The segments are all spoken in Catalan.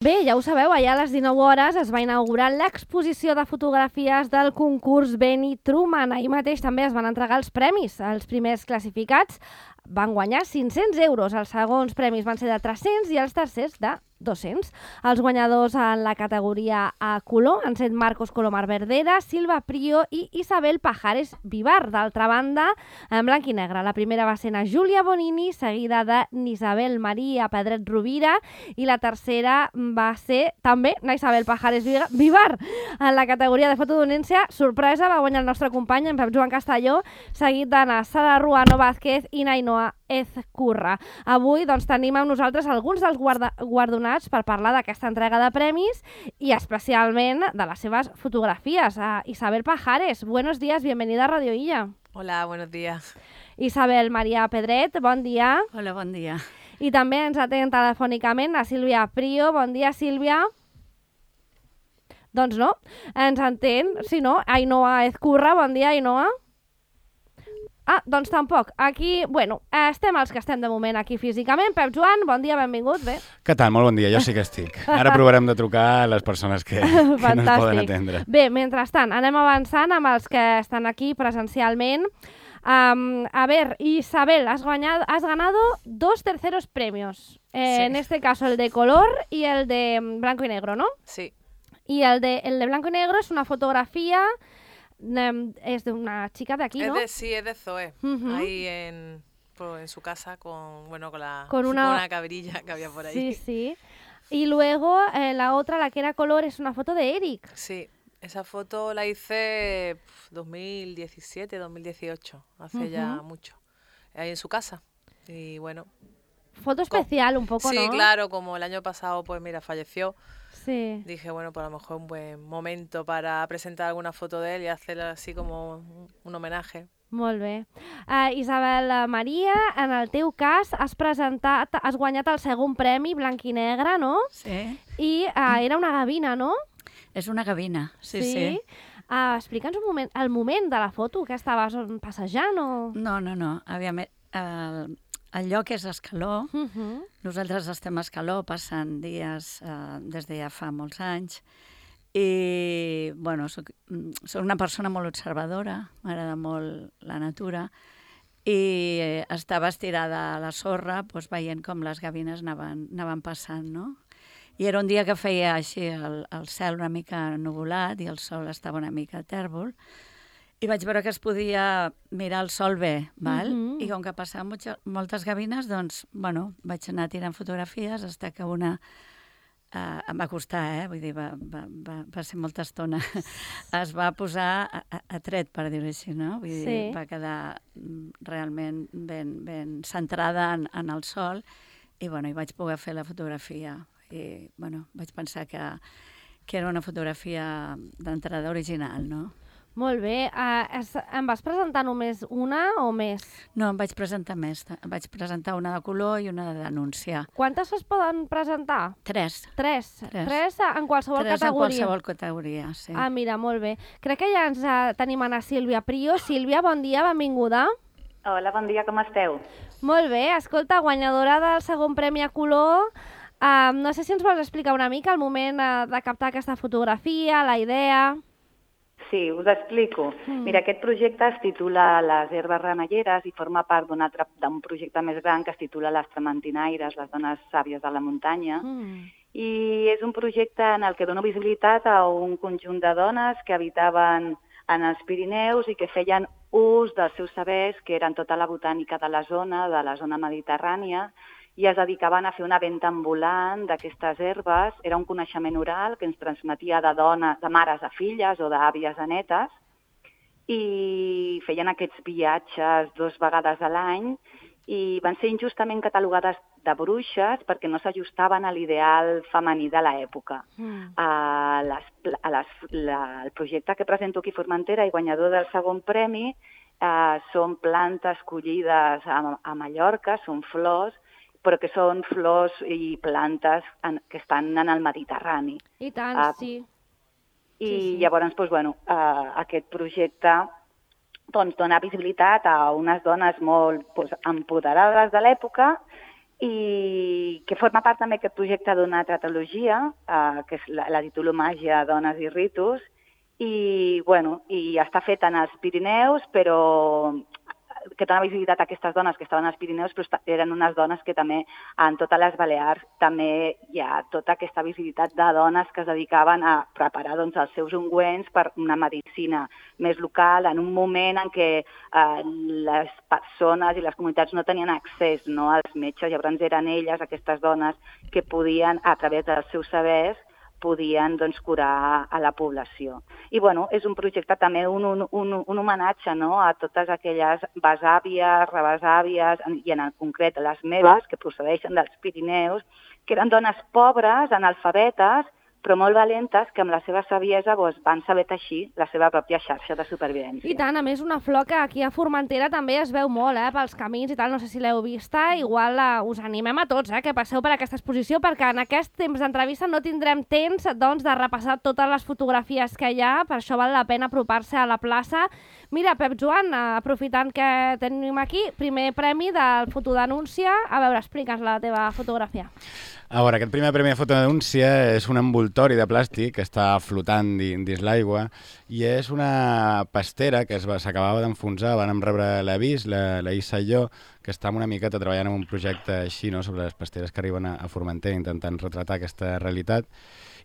Bé, ja ho sabeu, allà a les 19 hores es va inaugurar l'exposició de fotografies del concurs Benny Truman. Ahir mateix també es van entregar els premis. Els primers classificats van guanyar 500 euros, els segons premis van ser de 300 i els tercers de 200. Els guanyadors en la categoria a color han set Marcos Colomar Verdera, Silva Prio i Isabel Pajares Vivar. D'altra banda, en blanc i negre. La primera va ser na Júlia Bonini, seguida de Isabel Maria Pedret Rovira, i la tercera va ser també na Isabel Pajares Vivar. En la categoria de fotodonència, sorpresa, va guanyar el nostre company, en Pep Joan Castelló, seguit de na Sara Ruano Vázquez i Nainoa Ezcurra. Avui doncs, tenim amb nosaltres alguns dels guardonats per parlar d'aquesta entrega de premis i especialment de les seves fotografies. Isabel Pajares, buenos días, bienvenida a Radio Illa. Hola, buenos días. Isabel Maria Pedret, bon dia. Hola, bon dia. I també ens atén telefònicament a Sílvia Prio. Bon dia, Sílvia. Doncs no, ens entén, si no, Ainoa Ezcurra. Bon dia, Ainoa. Doncs tampoc. Aquí, bueno, estem els que estem de moment aquí físicament. Pep Joan, bon dia, benvingut. Bé. Què tal? Molt bon dia, jo sí que estic. Ara provarem de trucar a les persones que no ens poden atendre. Bé, mentrestant, anem avançant amb els que estan aquí presencialment. A ver, Isabel, has ganado 2 terceros premios. Sí. En este caso el de color y el de blanco y negro, ¿no? Sí. Y el de blanco y negro es una fotografía... es de una chica de aquí, ¿no? Sí, es de Zoe. Ahí en su casa con una cabrilla que había por ahí. Sí, sí. Y luego la otra, la que era color, es una foto de Eric. Sí, esa foto la hice 2017, 2018, hace ya mucho. Ahí en su casa. Y bueno. Foto especial un poco, ¿no? Sí, claro, como el año pasado, pues mira, falleció. Sí. Dije, bueno, pues a lo mejor un buen momento para presentar alguna foto de él y hacer así como un homenaje. Molt bé. Isabel Maria, en el teu cas has guanyat el segon premi blanc i negre, no? Sí. I era una gavina, no? És una gavina, sí. Explica'ns un moment, el moment de la foto, que estaves passejant o...? No. Aviam, el lloc és Escaló. Nosaltres estem a Escaló, passen dies des de ja fa molts anys. I, bueno, soc una persona molt observadora, m'agrada molt la natura, i estava estirada a la sorra doncs, veient com les gavines anaven passant, no? I era un dia que feia així el cel una mica nuvolat i el sol estava una mica tèrbol, i vaig veure que es podia mirar el sol bé, val? I com que passaven moltes gavines, doncs, bueno, vaig anar tirant fotografies fins que una... em va costar, vull dir, va ser molta estona. Es va posar a tret, per dir-ho així, no? Vull dir, va quedar realment ben centrada en el sol i, bueno, hi vaig poder fer la fotografia. I, bueno, vaig pensar que era una fotografia d'entrada original, no? Molt bé. Em vas presentar només una o més? No, em vaig presentar més. Em vaig presentar una de color i una de denúncia. Quantes es poden presentar? 3. 3 en qualsevol categoria? 3 en qualsevol categoria, sí. Mira, molt bé. Crec que ja ens tenim a Sílvia Prio. Sílvia, bon dia, benvinguda. Hola, bon dia, com esteu? Molt bé. Escolta, guanyadora del segon premi a color. No sé si ens vols explicar una mica el moment de captar aquesta fotografia, la idea... Sí, us explico. Mira, aquest projecte es titula Les herbes remelleres i forma part d'un projecte més gran que es titula Les trementinaires, les dones sàvies de la muntanya. I és un projecte en el que dono visibilitat a un conjunt de dones que habitaven en els Pirineus i que feien ús dels seus sabers, que eren tota la botànica de la zona mediterrània, i es dedicaven a fer una venda ambulant d'aquestes herbes. Era un coneixement oral que ens transmetia de mares a filles o d'àvies a netes, i feien aquests viatges 2 vegades a l'any i van ser injustament catalogades de bruixes perquè no s'ajustaven a l'ideal femení de l'època. El projecte que presento aquí a Formentera i guanyador del segon premi són plantes collides a Mallorca, són flors, però que són flors i plantes que estan en el Mediterrani. I tant, sí. I llavors, doncs, bueno, aquest projecte dona visibilitat a unes dones molt empoderades de l'època i que forma part també aquest projecte d'una tratologia, que és la titulomàgia Dones i ritus, i està fet en els Pirineus, però que dona visibilitat a aquestes dones que estaven als Pirineus, però eren unes dones que també en totes les Balears també hi ha tota aquesta visibilitat de dones que es dedicaven a preparar els seus ungüents per una medicina més local en un moment en què les persones i les comunitats no tenien accés als metges, llavors eren elles, aquestes dones, que podien, a través dels seus sabers, podien curar a la població. I és un projecte també, un homenatge a totes aquelles besàvies, rebesàvies, i en concret les meves, que procedeixen dels Pirineus, que eren dones pobres, analfabetes, però molt valentes, que amb la seva saviesa van saber teixir la seva pròpia xarxa de supervivència. I tant, a més, una flor que aquí a Formentera també es veu molt, pels camins i tal, no sé si l'heu vista, igual us animem a tots que passeu per aquesta exposició, perquè en aquest temps d'entrevista no tindrem temps de repassar totes les fotografies que hi ha, per això val la pena apropar-se a la plaça. Mira, Pep Joan, aprofitant que tenim aquí, primer premi del Fotodenúncia. A veure, explica'ns la teva fotografia. A veure, aquest primer premi de fotodenúncia és un envoltori de plàstic que està flotant dins l'aigua i és una pastera que s'acabava d'enfonsar. Vam rebre l'avís, la Issa i jo, que estàvem una miqueta treballant en un projecte així, sobre les pasteres que arriben a Formentera, intentant retratar aquesta realitat.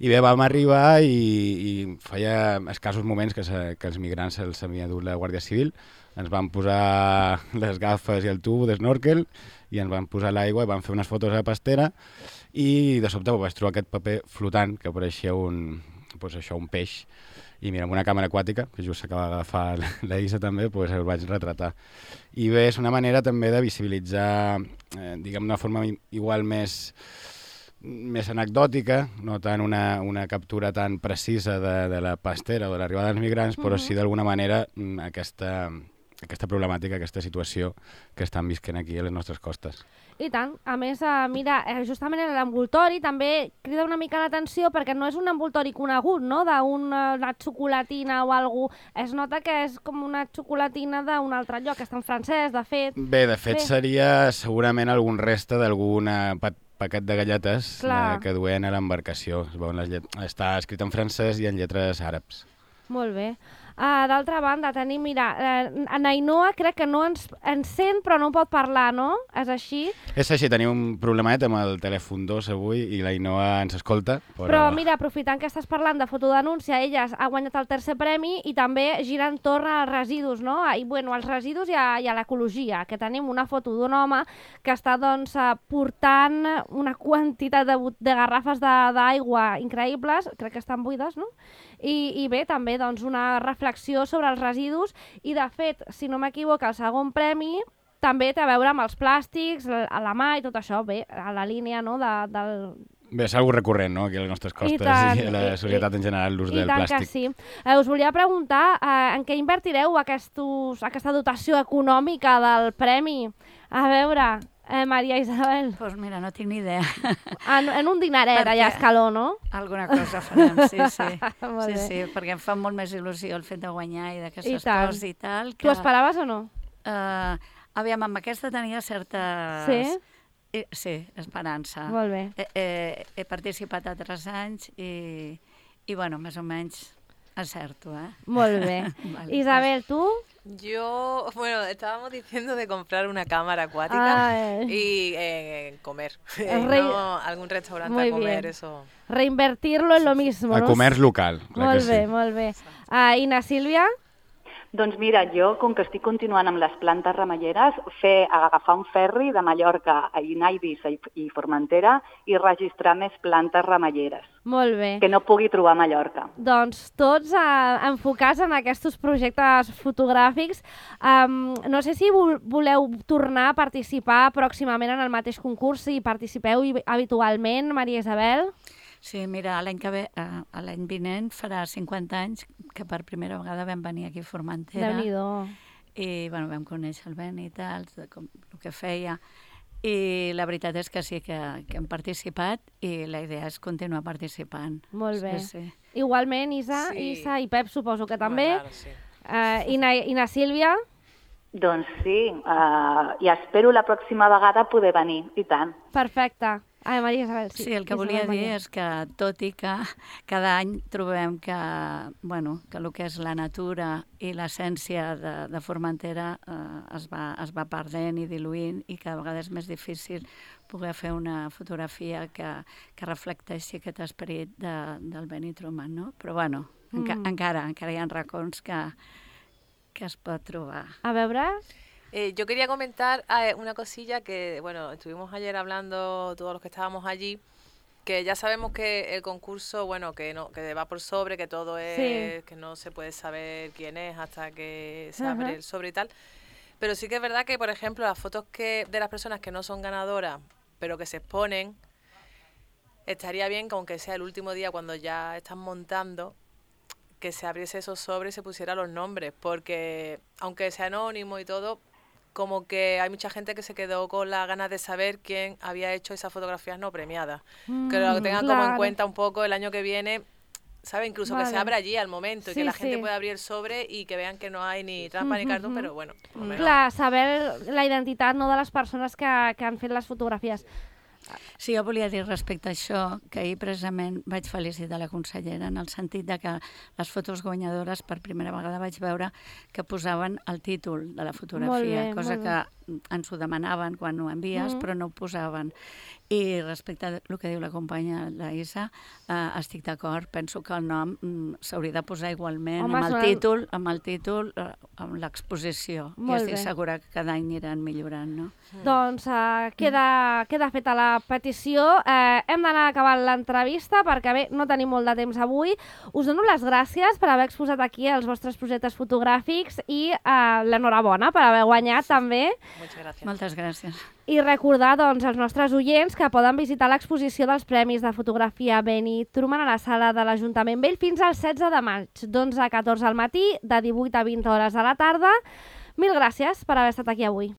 I bé, vam arribar i feia escassos moments que els migrants se'ls havia dut la Guàrdia Civil. Ens van posar les gafes i el tub d'esnòrquel i ens van posar l'aigua i van fer unes fotos a la pastera i de sobte vaig trobar aquest paper flotant que pareixia un peix. I mira, amb una càmera aquàtica, que just s'acaba d'agafar la Isa també, el vaig retratar. I bé, és una manera també de visibilitzar, d'una forma igual més anecdòtica, no tant una captura tan precisa de la pastera o de l'arribada dels migrants, però sí d'alguna manera aquesta problemàtica, aquesta situació que estan visquent aquí a les nostres costes. I tant. A més, mira, justament l'envoltori també crida una mica l'atenció perquè no és un envoltori conegut, d'una xocolatina o alguna cosa. Es nota que és com una xocolatina d'un altre lloc, que està en francès, de fet. Bé, de fet seria segurament algun reste d'algun paquet de galletes que duen a l'embarcació. Està escrit en francès i en lletres àrabs. Molt bé. D'altra banda, tenim, mira, Ainhoa crec que no ens sent però no pot parlar, no? És així? És així, tenim un problemet amb el telèfon 2 avui i l'Ainhoa ens escolta. Però mira, aprofitant que estàs parlant de fotodenúncia, ella ha guanyat el tercer premi i també gira entorn als residus, no? I als residus i a l'ecologia, que tenim una foto d'un home que està portant una quantitat de garrafes d'aigua increïbles, crec que estan buides, no? I bé, també una reflexió sobre els residus i, de fet, si no m'equivoco, el segon premi també té a veure amb els plàstics, a la mà i tot això, bé, a la línia del... Bé, és algo recurrent, no?, aquí a les nostres costes i a la societat en general, l'ús del plàstic. I tant que sí. Us volia preguntar en què invertireu aquesta dotació econòmica del premi. A veure... Maria Isabel. Doncs mira, no tinc ni idea. En un dinaret allà a Escaló, no? Alguna cosa farem, sí. Sí, perquè em fa molt més il·lusió el fet de guanyar i d'aquestes coses i tal. Tu esperaves o no? Aviam, amb aquesta tenia certes... Sí? Sí, esperança. Molt bé. He participat altres anys i bueno, més o menys acerto, Molt bé. Vale. Isabel, ¿tú? Yo, estábamos diciendo de comprar una cámara acuática y comer. No, algún restaurante muy a comer, bien. Eso. Reinvertirlo en lo mismo. A comerç local. Molt bé, molt bé. I na Sílvia? Doncs mira, jo, com que estic continuant amb les plantes remeieres, agafar un ferri de Mallorca a Eivissa i Formentera i registrar més plantes remeieres. Molt bé. Que no pugui trobar a Mallorca. Doncs tots enfocats en aquests projectes fotogràfics. No sé si voleu tornar a participar pròximament en el mateix concurs, si participeu habitualment, Maria Isabel. Sí, mira, l'any vinent farà 50 anys que per primera vegada vam venir aquí a Formentera. Déu-n'hi-do. I vam conèixer el Ben i tal, el que feia. I la veritat és que sí que hem participat i la idea és continuar participant. Molt bé. Sí. Igualment, Isa i Pep suposo que també. Clar, sí. I na Sílvia? Doncs sí, i espero la pròxima vegada poder venir, i tant. Perfecte. Ai, Maria Isabel, sí. Sí, el que volia dir és que, tot i que cada any trobem que, bueno, que el que és la natura i l'essència de Formentera es va perdent i diluint, i cada vegada és més difícil poder fer una fotografia que reflecteixi aquest esperit del Benny Truman, no? Però, bueno, encara hi ha racons que es pot trobar. A veure... Yo quería comentar una cosilla que, bueno, estuvimos ayer hablando todos los que estábamos allí, que ya sabemos que el concurso, bueno, que va por sobre, que todo es, que no se puede saber quién es hasta que se abre el sobre y tal. Pero sí que es verdad que, por ejemplo, las fotos de las personas que no son ganadoras, pero que se exponen, estaría bien que aunque sea el último día cuando ya están montando, que se abriese esos sobres y se pusieran los nombres, porque aunque sea anónimo y todo, como que hay mucha gente que se quedó con las ganas de saber quién había hecho esas fotografías no premiadas. Que lo tengan como en cuenta un poco el año que viene, ¿sabe? Incluso que se abra allí al momento y que la gente pueda abrir el sobre y que vean que no hay ni trampa ni cartón, però bueno. Clar, saber la identitat no de les persones que han fet les fotografies. Sí, jo volia dir respecte a això que ahir precisament vaig felicitar la consellera en el sentit de que les fotos guanyadores per primera vegada vaig veure que posaven el títol de la fotografia, cosa que ens ho demanaven quan ho envies, però no ho posaven. I respecte al que diu la companya, la Isa, estic d'acord. Penso que el nom s'hauria de posar igualment amb el títol, amb l'exposició. I estic segura que cada any aniran millorant, no? Doncs queda feta la petició. Hem d'anar acabant l'entrevista perquè, bé, no tenim molt de temps avui. Us dono les gràcies per haver exposat aquí els vostres projectes fotogràfics i l'enhorabona per haver guanyat també. Moltes gràcies. I recordar, doncs, als nostres oients que poden visitar l'exposició dels Premis de Fotografia Benny Truman a la sala de l'Ajuntament Vell fins al 16 de maig, d'11 a 14 al matí, de 18 a 20 hores a la tarda. Mil gràcies per haver estat aquí avui.